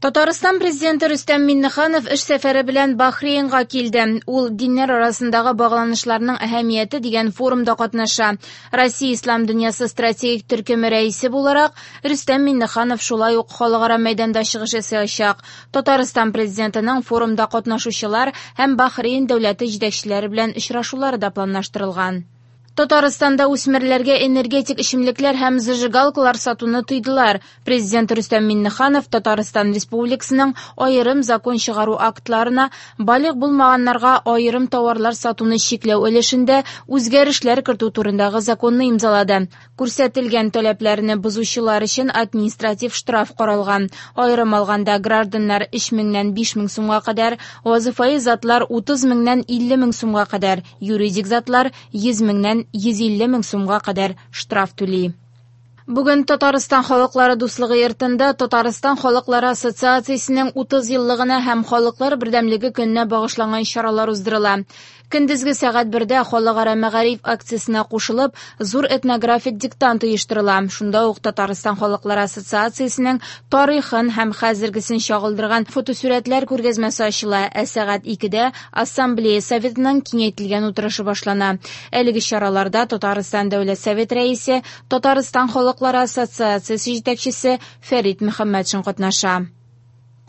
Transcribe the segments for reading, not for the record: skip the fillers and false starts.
Татарстан Президенты Рөстәм Миңнеханов эш сәфәре белән Бахрейнга килде. Ул диннәр арасындагы багланышларның әһәмияте дигән форумда катнаша. Россия ислам дөньясы стратегик төркеме рәисе буларак, Рөстәм Миңнеханов шулай ук халыкара мәйданда чыгыш ясаячак. Татарстан Президентының форумда катнашучылар һәм Бахрейн дәүләте җитәкчеләре белән очрашулары да планлаштырылган. Татарстанда үсмерләргә энергетик эчемлекләр һәм зажигалкалар сатуны тыйдылар. Президент Рөстәм Миңнеханов Татарстан Республикасының аерым закон чыгару актларына балигъ булмаганнарга аерым товарлар сатуны чикләү өлешендә үзгәрешләр кертү турындагы законны имзалады. Күрсәтелгән таләпләрне бозучылар өчен административ штраф каралган. Аерым алганда, гражданнар 3 меңнән 5 мең сумга кадәр, вазыйфаи затлар 30 меңнән 50 мең сумга кадәр, юридик затлар 100 меңнән 150 мең сумга кадәр штраф түли. Бүген Татарстан халыклары дуслыгы йортында Татарстан халыклары ассоциациясенең 30 еллыгына һәм Халыклар бердәмлеге көненә багышланган чаралар уздырыла. Көндезге сәгать бердә халыкара мәгариф акциясенә кушылып, зур этнографик диктант оештырыла. Шунда ук Татарстан халыклары ассоциациясенең тарихын һәм хәзергесен чагылдырган фотосурәтләр күргәзмәсе ачыла. Ә сәгать икедә Ассамблея Советының киңәйтелгән утырышы башлана. Әлеге чараларда Татарстан Дәүләт Совет рәисе, Татарстан халыклары ассоциациясе җитәкчесе Фәрит Мөхәммәтшин катнаша.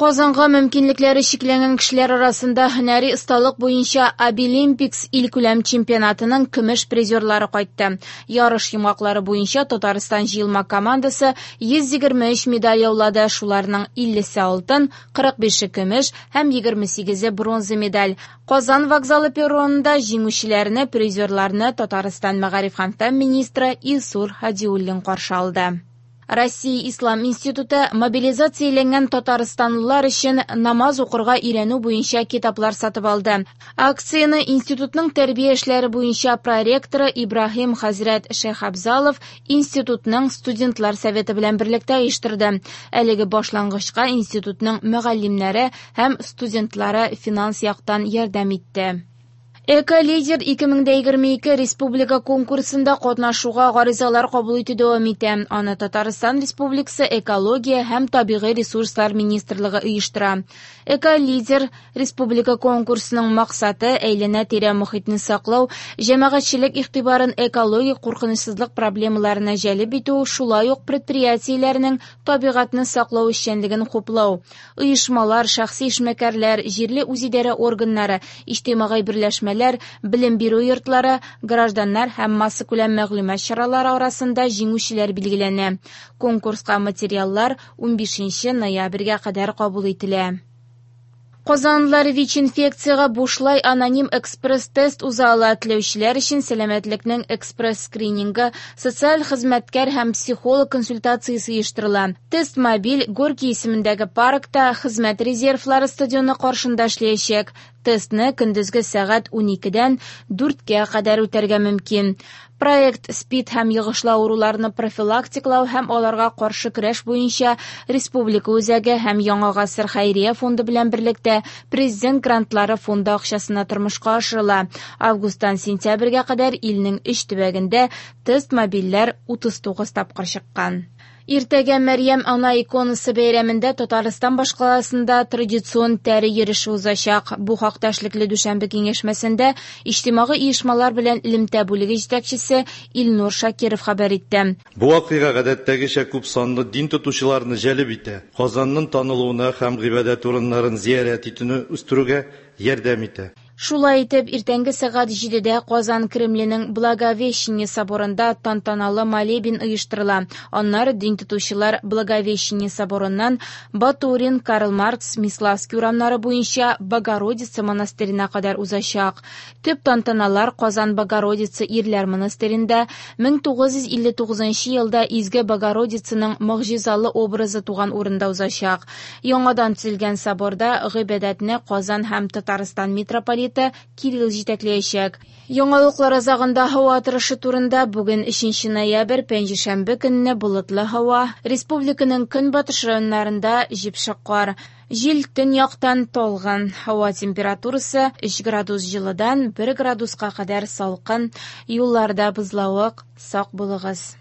Казанга мөмкинлекләре чикләнгән кешеләр арасында һөнәри осталык буенча Абилимпикс илкүләм чемпионатының көмеш призерлары кайтты. Ярыш йомгаклары буенча Татарстан җыелма командасы 123 медаль яулады, шуларның 50-се алтын, 45-е көмеш һәм 28-е бронза медаль. Казан вокзалы перронында җиңүчеләрне, призерларны Татарстан мәгариф һәм фән министры Илсур Һадиуллин каршы алды. Россия Ислам институты мобилизацияләнгән татарстанлылар өчен намаз укырга өйрәнү буенча китаплар сатып алды. Акцияне институтның тәрбия эшләре буенча проректоры Ибраһим хәзрәт Шәйхабзалов институтның студентлар советы белән берлектә оештырды. Әлеге башлангычка институтның мөгаллимнәре һәм студентлары финанс яктан ярдәм итте. Эко-лидер 2022 республика конкурсында катнашуга гаризалар кабул итү дәвам итә. Аны Татарстан Республикасы Экология һәм табигый ресурслар министрлыгы оештыра. Эко-лидер республика конкурсының максаты әйләнә-тирә мохитне саклау, җәмәгатьчелек игътибарын экологик куркынычсызлык проблемаларына җәлеп итү, шулай ук предприятиеләрнең табигатьне саклау эшчәнлеген хуплау. Оешмалар, шәхси эшмәкәрләр, җирле үзидарә органнары, иҗтимагый берләшмәләр, белем бирү йортлары, гражданнар һәм массакүләм мәгълүмат чаралары арасында җиңүчеләр билгеләнә. Конкурска материаллар 15 ноябрьгә кадәр кабул ителә. Казанлылар ВИЧ-инфекциягә бушлай аноним экспресс-тест уза ала. Теләүчеләр өчен сәламәтлекнең экспресс-скринингы, социаль хезмәткәр һәм психолог консультациясе оештырыла. Тест мобиль Горький исемендәге паркта Хезмәт резервлары стадионы каршында эшләячәк. Тестны көндезге сәгать 12-дән 4-кә кадәр үтәргә мөмкин. Проект СПИД һәм йогышлы авыруларны профилактикалау һәм аларга каршы көрәш буенча Республика үзәге һәм Яңа гасыр хәйрия фонды белән берлектә Президент грантлары фонды акчасына тормышка ашырыла. Августтан сентябрьгә кадәр илнең өч төбәгендә тест мобильләр 39 тапкыр чыккан. Иртәгә Мәрьям ана иконасы бәйрәмендә Татарстан башкаласында традицион тәре йөреше узачак. Бу хакта эшлекле дүшәмбе киңәшмәсендә иҗтимагый оешмалар белән элемтә бүлеге җитәкчесе Илнур Шакиров хәбәр итте. Бу вакыйга гадәттәгечә күп санлы дин тотучыларны җәлеп итә, Казанның танылуына һәм гыйбадәт урыннарын зиярәт итүне үстерүгә ярдәм итә. Шулай итеп, иртәнге сәгать 7-дә Казан Кремленең Благовещение соборында тантаналы молебен оештырыла. Аннары дин тотучылар Благовещение соборыннан Батурин, Карл Маркс, Миславский урамнары буенча Богородица монастырена кадәр узачак. Төп тантаналар Казан Богородица ирләр монастыренда 1959 елда Изге Богородицаның могҗизалы образы туган урында узачак. Яңадан төзелгән соборда гыйбадәтне Казан һәм Татарстан митрополиты Кирилл җитәкләячәк. Яңалыклар азагында һава торышы турында бүген 3 ноябрь, пәнҗешәмбе көнне болытлы һава, республиканың көнбатыш районнарында җепшек кар. Җил төньяктан талгын. Һава температурасы 3 градус җылыдан 1 градуска кадәр салкын. Юлларда бозлавык, сак булыгыз.